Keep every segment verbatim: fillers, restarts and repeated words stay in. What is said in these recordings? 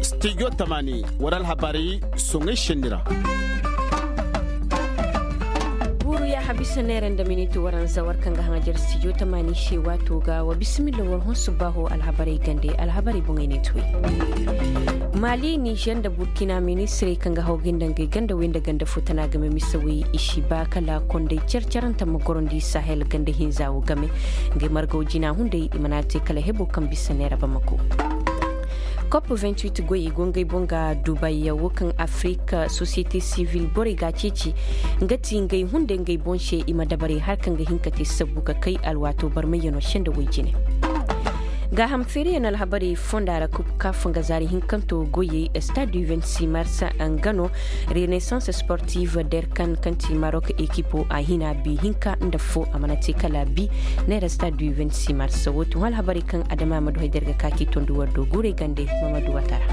Studio tamaani war alhabarey soŋay senni ra. Buuru yaaha bisa neera nda miniti waranza war kaŋ ga haŋajer studio tamaani se waato ga wa bisimilla war hõ subbaaho alhabarey gande alhabarey boŋey ne tuwey. Maali nizer nda burkina ministirey kaŋ ga haw ga nda ngey ganda wey nda ganda fo tana game misawey i si ba kala konday car-carante ma gorondi sahel ganda hinza wo game. Ngey margaw jina hunday i mana te kala hebo kaŋ bisa neera bamako. Kop vingt-huit goy i go ngey boŋ ga dubay wo kaŋ afirika sosiyete sivil borey ga a ceeci. Nga ti ngey hunday ngey boŋ se i ma dabarey har kaŋ ga hin ka te sabbu ka kay alwaato barmayyano senda way jine. Gaaham feeriyaŋ alhabarey fonda ra kub ka fonga zaari hinkanto goyey stade du vingt-six mars nga no. Renaissance sportive derkan kaŋ ti marok ekipo a hina bi hinka nda fo a mana te kala bi. Neera stade du vingt-six mars wo tun alhabarey kaŋ adama ma du hay der ga ka k'i tondi war do guurey gande. Mamadu watara.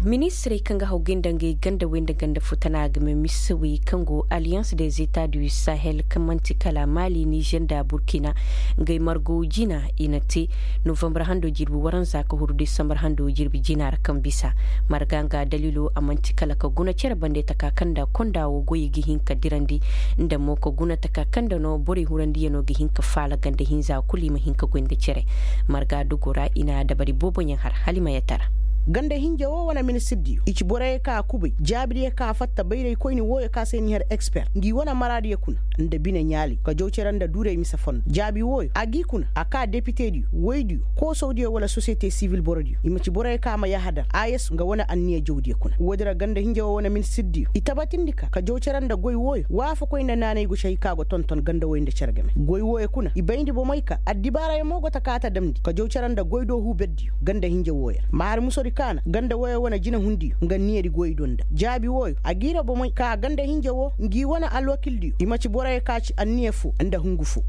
Ministirey kaŋ ga haw gay nda ngey ganda wey nda ganda fo tana game misawey kaŋ go alliance des etats du sahel kaŋ manti kala mali nizer nda burkina. Ngey margo jina i na te novambar hando jirbi waranza ka huru desambar hando jirbi jina ra kaŋ bisa. Marga nga daliilo a manti kala ka guna cere bande taka kaŋ nda konda wo goyey ga hin ka dirandi nda mo ka guna taka kaŋ nda no borey hurandiyano ga hin ka faala ganda hinza kulu i ma hin ka goy nda cere. Marga dogo ra i na dabari booboyaŋ har hala i ma yatara. Ganda hinja wo wane ministirdiyo i ci borey kaŋ a kubay jaabidiyo kaŋ a fatta bayraykoyni wooyo kaŋ se ni har eksper ngi wane maraadiyo kuna nda bine ɲaalay ka jaw cere nda duuray mise fondo jaabi wooyo a g'i kuna a ka depitediyo woydiyo koosawdiyo wala sosiyete sivil borodiyo i ma ci borey kaŋ a ma yahadar a yesu nga wane anniya jawdiyo kuna woodi ra ganda hinja wo wane ministirdiyo i tabatindi ka ka jaw cere nda goy wooyo waafakoy nda naanay go cahi kaŋ a go tonton ganda woy nda cere game goy wooyo kuna i bayndi bomey ka addibaaray mo go ta kaata damndi ka jaw cere nda goy do huuberdiyo ganda hinja wooyo ra ma har musodi kaana ganda wooyo wane jinehundiyo nga niyadi goy do nda jaabi wooyo a giira bomey ka ganda hinja woo ngi wane alwakildiyo i ma ci borey ka ci anniya foo nda hungu foo.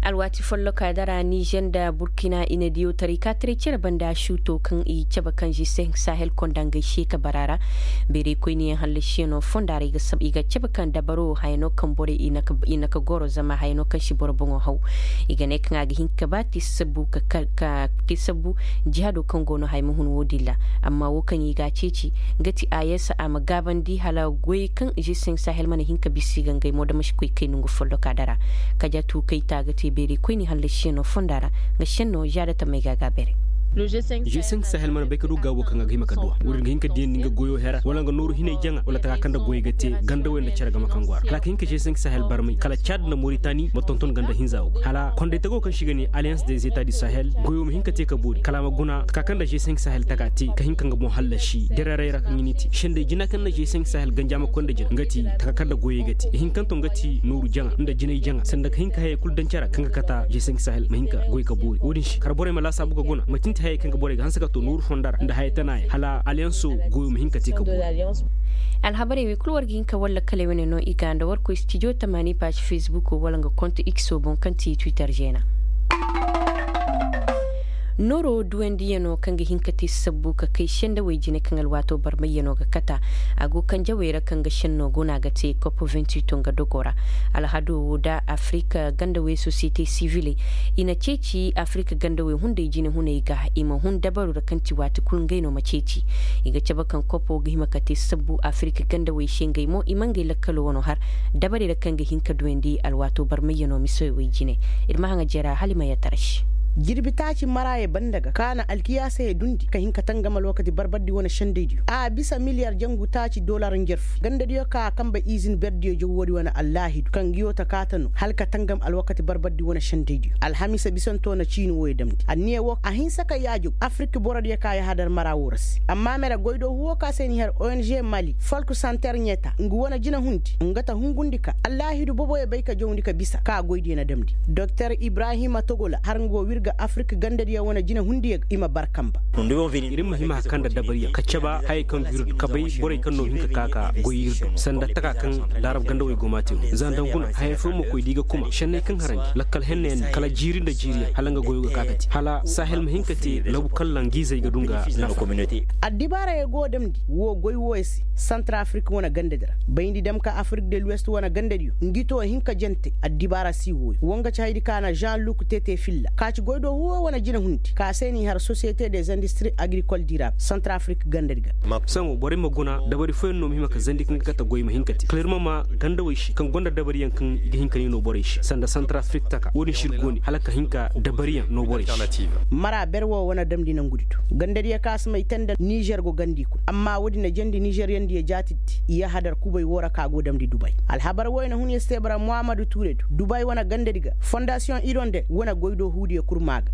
Alwaati folloka dara nizer nda burkina i na diyo taray ka taray cere banda suuto kaŋ i cabe kaŋ g cinq sahel konda ngey se ka bara ra. Beeraykoyniyaŋ hallasiyano fonda ra i ga cabe kaŋ dabaro hayano kaŋ borey i na ka goro zama hayano kaŋ si boro boŋo haw. I ga ne kaŋ a ga hin ka ba te sabbu ka te sabbu jihado kaŋ go no haya ma hun wo-din ra. Amma wo kaŋ i ga a ceeci nga ti a yeesa a ma gaabandi hala goy kaŋ g cinq sahel mana hin ka bisa i ga ngey mo da ma si koy kay nongu folloka dara. Kajatu kayta ga te beeraykoyni hallasiyaŋo fonda ra. Nga senno zaada tamey ga a gaabere. G cinq sahel mana bay ka du gaabo kaŋ a ga hima ka duwa wo-din ga hin ka diyandi nga goyo hera wala nga nooru hinay jaŋa wala taka kaŋ nda goy ga te ganda wey nda cere game kaŋ go a ra hala ka hin ka g cinq sahel barmay kala caad nda moritani ma tonton ganda hinza wo ga hala konday tago kaŋ se i ga ne alliance des etats du sahel goyo ma hin ka te ka boori kala a ma guna taka kaŋ nda g cinq sahel taka te ka hin ka nga boŋ hallasi dereeray ra kaŋ i n'i te senday jina kaŋ nda g cinq sahel ganja ma koy nda jina nga ti taka kaŋ nda goyey ga te ihinkanto nga ti nooru jaŋa nda jinay jaŋa sanda ka hin ka hayey kulu daŋ care kaŋ ga kata g cinq sahel ma hin ka goy ka boori wo-din se kala borey ma laasaabu ka guna ma tinti hayey kaŋ ga borey ga hanse ka to nooru fonda ra nda haya tana yaŋ hala alliance goyo ma hin ka te ka boori. Alhabarey wey kulu war ga hin ka walla kala wane no i ga nda war koy studio tamaani paazi facebook wala nga konto x boŋ kaŋ ti twitter zeena. Nooro duwandiyano kaŋ ga hin ka te sabbu ka kay sendawey jine kaŋ alwaato barmayyano ga kata. A go kaŋ jawey ra kaŋ ga senno guna ga te kop vingt-huit nga dogo ra. Alhado wo da afirika gandawey sosiyete siviley i na ceeci afirika gandawey hunday jinehuney ga i ma hun dabaru ra kaŋ ti waati kulu ngey no ma ceeci. I ga cabe kaŋ kopo ga hima ka te sabbu afirika gandawey se ngey mo i ma ngey lakkalo wano har dabarey ra kaŋ ga hin ka duwandi alwaato barmayyano misawey jine. Ir ma haŋa jera hala i ma yatara se. Jirbi taaci maraayey banda ga kaana alkiyaasayey dundi ka hin ka tangam alwakati barbardi wane sendaydiyo a bisa miliyar jangu taaci dolar njarfu gandadiyo ka a kambe izin berdiyo jaw woodi wane allaahidu kaŋ nguyo ta kaata no hala ka tangam alwakati barbardi wane sendaydiyo alhamiisa bisanto na ciini wooyo damndi anniya woo a hinsa ka yaajaw afirik borodiyo ka yahadar mara woo ra se amma mere goydoohu woo ka se ni har ong mali folk santer ɲeta ngu wane jinahundi nga ta hungundi ka allaahidu boboyo bay ka jawndi ka bisa ka goydiyo na damndi doktor ibrahima togola har nga woo Afirik gandadiyaŋ wane jinehundiyaŋ i ma bar kamba. Ir ma hima ka kanda dabariyaŋ ka caba hayey kaŋ ga ir du ka bay borey kaŋ no hin ka ka ka goy ir do sanda taka kaŋ laarab gandawey go ma a te wo. Za nda nguna hayey fooyaŋ ma koy da i ga kuma šenney kaŋ harandi lakkal hennayaŋ ne kala jiiri nda jiiriyaŋ hala nga goyo ga ka ka te hala sahel ma hin ka te labu kaŋ langiizey ga du nga nafa. Addibaarayey go damndi woo goy wooyo se. Santar afirik wane gandadi ra bayndi dam ka afirik de luwest wane gandadiyo ngi to hin ka jante addibaara si wooyo wo nga ci haydi ka na žan luk tete filla ka ci goy do huwo wane jinehundi ka se n'i har sosiyete des industri agrikol dirab santar afirik gandadi ga. Saŋo borey ma guna dabari fooyaŋ no ma hima ka zandi kaŋ ga kate goy ma hin ka te kala ir ma maa gandawey se kaŋ gonda dabariyaŋ kaŋ i ga hin ka ni no borey se sanda santar afirik taka wo-din se ir go ne hala ka hin ka dabariyaŋ no borey se. Mara ber wo wane damndi nangudi to gandadiyo ka si may te nda nizer go gandi kul amma woodi na jandi nizeryandiyo jaatidi i yahadar kubay woo ra ka go damndi dubay. Alhabar wooyo na hun ya si te bara muhammadu tuure do dubay wane gandadi ga fondasiyoŋ ironde wane goy do huudiyo kul maa ga.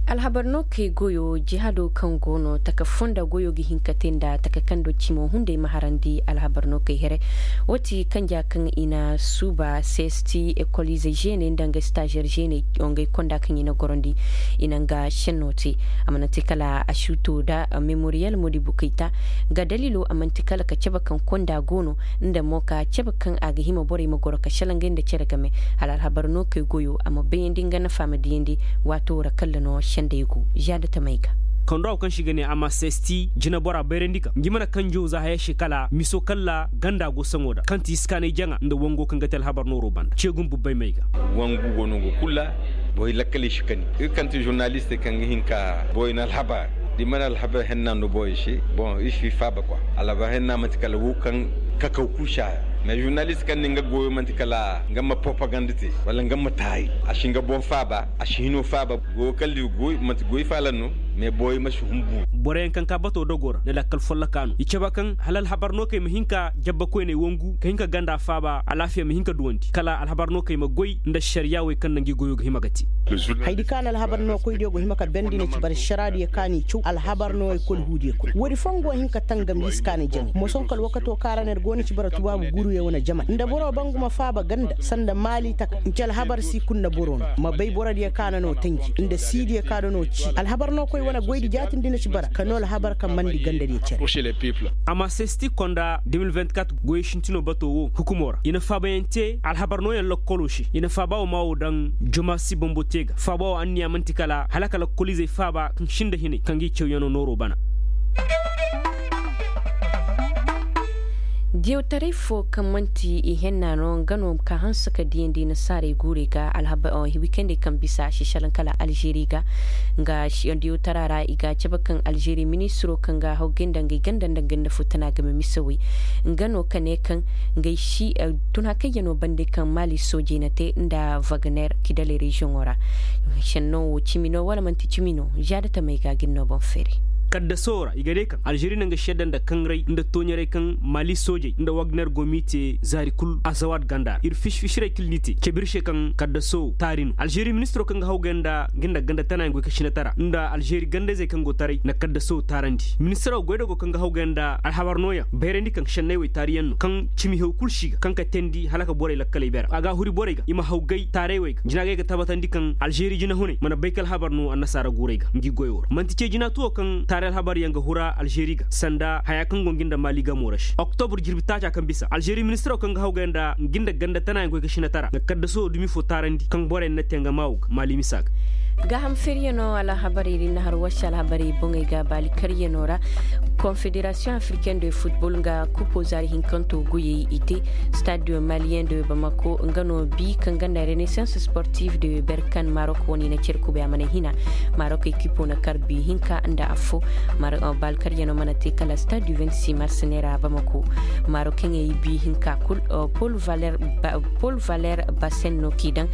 Alhabar no kay goyo jihaado kaŋ go no taka fonda goyo ga hin ka te nda taka kaŋ do cimo hunday ma harandi alhabar no kay here. Woo ti kanja kaŋ i na suuba sesti ekolize žeeney nda nga stazer žeeney, ngey konda kaŋ i na gorondi i na nga šenno te. A mana te kala a si to nda memoriyal modibu kayta. Nga daliilo a man'ti kala ka cabe kaŋ konda go no nda mo ka cabe kaŋ a ga hima borey ma goro ka šelaŋ ngey nda cere game hala alhabar no kay goyo a ma bayandi nga nafa ma diyandi. Waato ra kalla no sendey go žaada tamey ga. Kaŋ do a go kaŋ se i ga ne a ma sesti jinebora bayrandi ka ngi mana kanjo za haya se kala miso kalla ganda go saŋo da kaŋ ti iskaanay jaŋa nda wango kaŋ ga te alhabar nooro banda ceegun bubbay may ga. Wangu go no go kul ra. Boy lakkaley si kani ir kaŋ ti žurnalistey kaŋ ga hin ka boy na alhabar da i mana alhabar henna no boy se. Bon ir si faaba kwa alhabar henna man'ti kala wo kaŋ kakaw kul si a ra. Mais žurnalist kaŋ ne nga goyo man'ti kala nga ma propaganda te wala nga ma taari a si nga boŋ faaba a si hino faaba. Goyo kala ir goy man'ti goy faala no. Mais boy ma si hun buuri. Boroyaŋ kaŋ ka bato dogo ra nda lakkal folloka no i cabe kaŋ hala alhabar no kay ma hin ka jabba koyney wangu ka hin ka ganda faaba alaafiya ma hin ka duwandi kala alhabar no kay ma goy nda ašariyaa wey kaŋ na ngi goyo ga hima ga te. Haydi ka na alhabar no koydiyo go hima ka bendi na ci bara ašaraadiyo ka n'i caw alhabar no ekol huudiyo kul woodi foo nga wo hin ka tangam iskaanay jaŋay mosoŋ kala wakato ka ra no ir go na ci bara tubaabu guuruyo wane jama nda boro banguma faaba ganda sanda maali taka nci alhabar si kul nda boro no ma bay borodiyo ka na no tanji nda siidiyo ka na no cii alhabar no koy wane goydi jaatindi na ci bara ka no alhabar kaŋ mandi gandadiyo cere. Ama sesti konda de mil vingt-quatre goyey sintinoo batoo woo hukumoo ra i na faabayaŋ tee alhabar nooyaŋ lokkoloo se i na faabaa woo maa woo daŋ joma si bombo tee ga faabaa woo anniyaa man'ti kala hala ka lokkoliizey faaba kaŋ sinda hinay kaŋ g'i cawyanoo nooroo bana. Diyawtaray foo kaŋ man'ti i henna no nga no ka hanse ka diyandi nasaarey guurey ga alhaba wikendey kaŋ bisa a si salaŋ kala alžeri ga. Nga diyawtara ra i ga a cabe kaŋ alžeri ministiroo kaŋ ga hawgay nda ngey ganda nda ngey nda foo tana game misawey nga no ka ne kaŋ ngey si tun hakayyanoo bande kaŋ maali soojey na te nda wagner kidaley reziyoŋoo ra. Senno woo cimi no wala man'ti cimi no žaada tamey ga gin no boŋ feeri. Kaddasoo ra i ga ne kaŋ alžeri na nga sedda nda kaŋray nda tooɲaray kaŋ maali soojey nda wagner go m'i te zaari kul azawaat ganda ra ir fisi-fisirey kul n'i te cabe ir se kaŋ kaddasoo taari no alžeri ministiroo kaŋ ga hawgay nda nga nda ganda tanaayaŋ goy ka sinatara nda alžeri ganda-izey kaŋ go taray na kaddasoo taarandi ministiroo goydogoo kaŋ ga hawgay nda alhabar nooyaŋ bayrandi kaŋ senney wey taariyaŋ no kaŋ cimi haw kul si ga kaŋ ka teendi hala ka borey lakkaley bera a ga a huri borey ga i ma hawgay taaray wey ga jina ga ay ga tabatandi kaŋ alžeri jinahunay mana bay ka alhabar no annasaara guurey ga ngi goyoo ra man'ti cee jina tuwoo kaŋ taaray alhabaryaŋ ga hura alžeri ga sanda hayaa kaŋ go ngi nda maali gamoo ra se oktobur jirbi taacaa kaŋ bisa alžeri ministiroo kaŋ ga hawgay nda ngi nda ganda tanaayaŋ goy ka sinatara nga kaddasoo dumi foo taarandi kaŋ borey na tee nga maa woo ga maali misa ga. Gaaham feryanoo alhabarey ra ir na har warse alhabarey boŋey ga baali karyanoo ra. Konfederasiyoŋ afriken de futbol nga kupo zaari hinkanto goyey i te. Stade maliyen de bamako nga no bi kaŋ ganda renaissance sportive de berkan marok wane i na cere kubay a mana hina. Marok ekipo na kar bi hinka nda affo. Baali karyanoo mana te kala stade du vingt-six mars neera bamako. Marokeŋey bi hinka kul. Paul valer basen no k'i daŋ.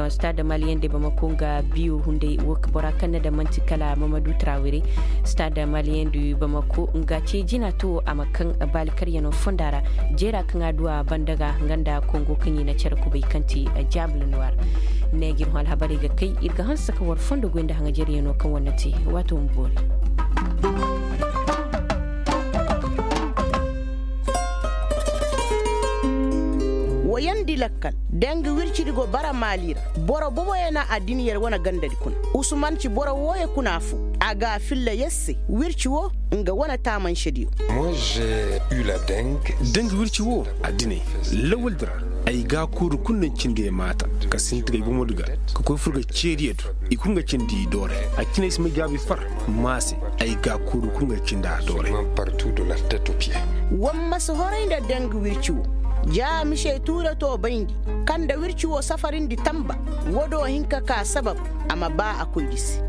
Stade maliyen de bamako nga biyo hunday wo bora kaŋ na daŋ man'ti kala mamadu trawere. Stade maliyen de bamako nga ce jina tuwo a ma kaŋ baali karyanoo fonda ra. Jeera kaŋ a du a banda ga nga nda kongo kaŋ i na cere kubay kaŋ ti jable noir. Ne ga ir hõ alhabarey ga kay ir ga hanse ka war fondo goy nda haŋajeryanoo kaŋ war na te. Waato ma boori. Yandi lakkal, dangi wircidi go bara maali ra. Boro boboyo na addin yer wane gandadi kuna. Usuman ci boro wooyo kuna foo. A ga a filla yer se. Wirci woo, nga wane taamansediyo. Dangi wirci woo, addiney, lawaldi ra, ay ga a kooru kul naŋ cindi ay maata, ka sinti ga ay bomodi ga, ka koy fur ga ceediyo do. I kul nga cindi i dooray. A cine ay si may gaabi far, maa se, ay ga a kooru kul nga cindi a dooray. War ma si horay nda dangi wirci woo. Ja mise tuure too bayndi, kaŋ nda wirci woo safarindi tamba. Woo do hin ka kaa sabab, a ma baa a koydi se.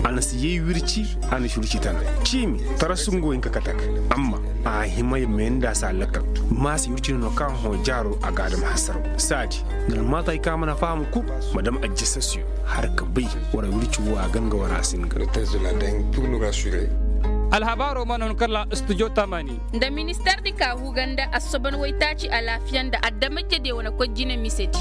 A na si yay wirci, a na si wirci tana. Ciimi, tarasu nga wo hin ka kate a ga. Amma, a hima ya meendi a se a lakkal. Maa se wirci no no kaŋ a hõ jaaro a ga a dam hasaraw. Saadi, nda almaatay kaŋ a mana faham kul, ma dam ajjasasiyo. Har ka bay, war wirci woo a ga nga war a si nga. Alhabaaroo mana hun kala studio tamaani. Nda ministeer di ka huga nda assoban waytaaci alaafiya nda adamajediyo wane koy jine misedi.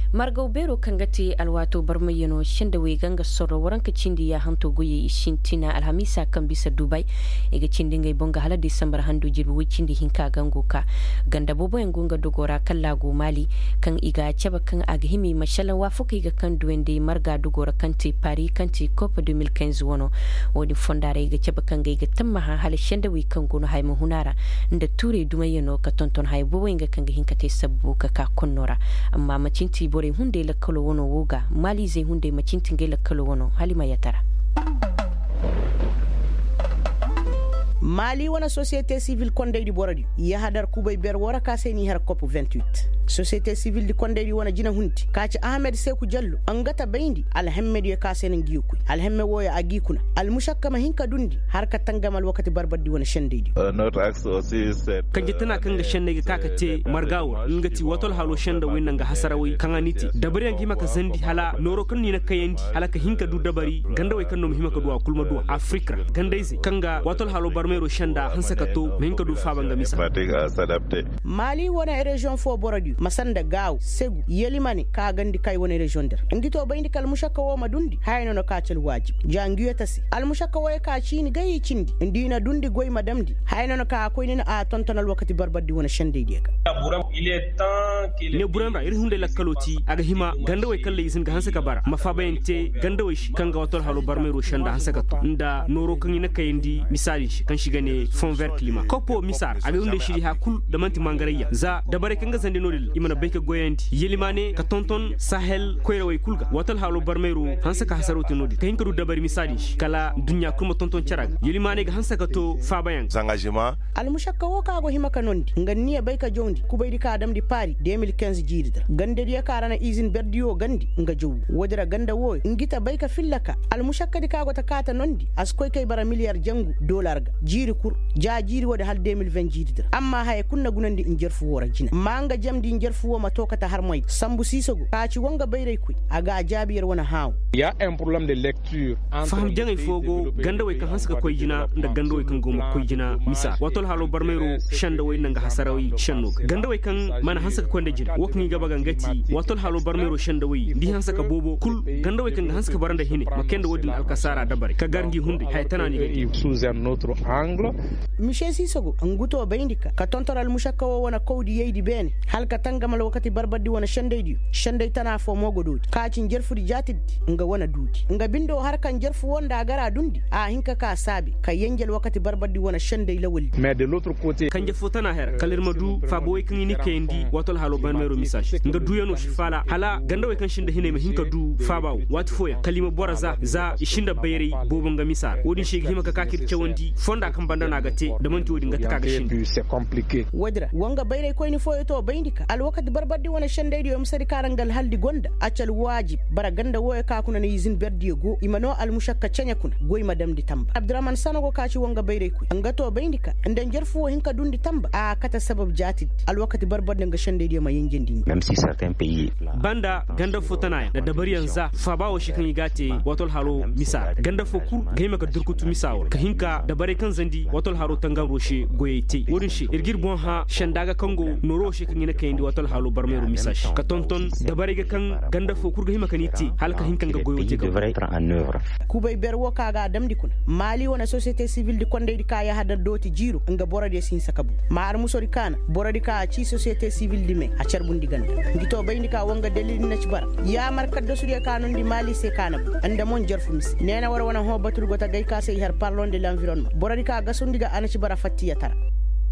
Margaw beeroo kaŋ ga te alwaatoo barmayyanoo sendawey ga nga sorro waranka cindi yaahanto goyey i sintina alhamiisa kaŋ bisa dubay. I ga cindi ngey boŋ ga hala disambar handoo jirbi woy cindi hinka ga ngo ka ganda booboyaŋ go nga dogoo ra kallaa go maali. Kaŋ i ga a cabe kaŋ a ga hima i ma šelaŋ waafakey ga kaŋ duwandi marga dogoo ra kaŋ te pari kaŋ te kop de mil kinze wano. Wo-din fonda ra i ga cabe kaŋ ga i ga tammaha hala sendawey kaŋ go no haya ma hun a ra. Nda tuurey dumayyanoo ka tonton haya booboyaŋ ga kaŋ ga hin ka te sabbu ka ka konnoo ra. Amma ma cinti borey hunday lakkaloo wano wo ga maaliizey hunday ma cinti ngey lakkaloo wano hala i ma yatara. Maali wane sosiyete sivil kondaydi borodiyo yahadar kubay ber woo ra ka se n'i har kop. Sosiyete sivildi kondaydi wane jinehundi ka ci ahamed seeku jallo nga ta bayndi alhemmediyo ka se na ngi yo koy alhemme wooyo a g'i kuna. Almušakka ma hin ka dundi har ka tangam alwakati barbardi wane sendaydiyo. Kanje tana kaŋ ga senney ga ka ka te marga woo ra nga ti wato alhaloo sendawey nda nga hasarawey kaŋ a n'i te dabariyaŋ ga hima ka zandi hala nooroo kaŋ n'i na kayandi hala ka hin ka du dabari gandawey kaŋ no ma hima ka du a kul ma du a afirik ra gandayzey kaŋ ga wato alhaloo barmeeroo senda hanse ka to ma hin ka du faaba nga misa. Maali wane reziyoŋ foo borodiyo ma sanda gaaw segu yelimane ka gandi kay wane reziyoŋ di ra ngi too bayndi ka almušakka woo ma dundi haya no na ka ci alwaajib ja ngi yo ta se almušakka wooyo ka ciini gay i cindi nda i na dundi goy ma damndi haya no na ka a koy ni na a tonton alwakati barbardi wane sendaydiyo ga. Ne buraŋ ra ir hunday lakkaloo ti a ga hima gandawey kaŋ lay i si hin ga hanse ka bara ma faabayaŋ te gandawey se kaŋ ga wato alhaloo barmeeroo senda hanse ka to nda nooroo kaŋ i na kayandi misaali se kaŋ se i ga ne fonver kilima koppoo misa ra a ga hunday siri haya kul nda man'ti mangarayya za dabarey kaŋ ga zandi no-din ra i mana bay ka goyandi yelimaane ka tonton sahel koyrawey kul ga wato alhaloo barmeeroo hanse ka hasaroo te no-din ka hin ka du dabari misa din se kala adduɲɲa kul ma tonton cere ga yelimaane ga hanse ka to faabayaŋ ga. Almušakka woo ka go hima ka noondi nga n'i ya bay ka jawndi kubaydi ka damndi paari de mil kinze jiiridi ra gandadiyo ka ra na izin berdiyo gandi nga jaw woo woodi ra ganda wooyo ngi ta bay ka filla ka almušakkadi ka go ta ka ta noondi a si koy kay bara miliyar jangu dolar ga jiiri kul ja jiiri woodi hala de mil ven jiiridi ra amma haya kul na gunandi njarfu woo ra jina ma nga jamndi njarfu woo ma too kate harmay sambu siisago ka ci woo nga bayraykoy a ga a jaabi yer wane hãawo. Faham jaŋay foo go gandawey kaŋ hanse ka koy jina nda gandawey kaŋ go ma koy jina misa waato alhaloo barmayroo sendawey nda nga hasarawey senno ga gandawey kaŋ mana hanse ka koy nda jina woo kaŋ i ga ba ga nga ti waato alhaloo barmayroo sendawey nda i hanse ka boobo kul gandawey kaŋ ga hanse ka bara nda hine ma kay nda woo din alkasaara dabari ka gar ngi hunday haya tana no i ga te. Mise siisago ngu too bayndi ka ka tonton almušakka woo wane kawdiyaydi beene hala ka tangam alwakati barbardi wane sendaydiyo senday tana foo mo go doodi ka ci njarfudi jaatiddi nga wane duudi nga bindoo har ka njarfu woo nda a gar a dundi a hin ka ka saabi ka yenje alwakati barbardi wane senday lawaldi. Kanje foo tana hera kala ir ma du faaba wey kaŋ i n'i kayandi waato alhaloo barmeeroo misa se nga duuyanoo si faala hala gandawey kaŋ si nda hinay ma hin ka du faaba woo waati fooyaŋ kala i ma boro za za i si nda bayray boobo nga misa ra woo din se i ga hima ka ka ka ir cawandi fonda kaŋ banda no a ga te nda man'ti woo din ga taka ga sinda. Woodi ra woo nga bayraykoyni fooyo too bayndi ka alwakati barbardi wane sendaydiyo misedi ka ra nga alhaldi gonda a ci alwaajib bara ganda wooyo ka kuna na izin berdiyo go i ma noo almušakka ceɲe kuna goy ma damndi tamba abduraman sanogo ka ci woo nga bayraykoy nga too bayndi ka nda njarfu woo hin ka dundi tamba a kate sabab jaatidi alwakati barbardi nga sendaydiyo ma yenjendi ngi. Banda ganda foo tanayaŋ nda dabariyaŋ za faaba woo se kaŋ i g'a te waato alhaloo misa ra ganda foo kul ga hima ka durkutu misa woo ra ka hin ka dabaray kaŋ Zandi wato alharo tangamro se goyey te wo-din se ir g'ir boŋ hã senda ga kaŋ go nooro wo se kaŋ i na kayandi wato alharo barmeero misa se ka tonton dabarey ga kaŋ ganda fo kul ga hima ka ni te hala ka hin ka nga goyo te ga. Kubay ber wo kaŋ a ga a damndi kuna maali wane sosiyete sibil di kondaydi kaŋ a yahadar dooti jiiro nga borodiyo si hinsa ka bu ma armusodi kaana borodi kaŋ a ci sosiyete sibil di me a carbundi ganda. Ngi to bayndi kaŋ a wo nga dalil ni na ci bara yaamar kaddasudiyo kaŋ a nondi maali se kaŋ a na bu nda moŋ jarfu mise neena war wane hõ batudi go ta gay kaŋ se i har parlon de lanvironma borodi kaŋ a gasundi ga a na ci bara fattiyatara.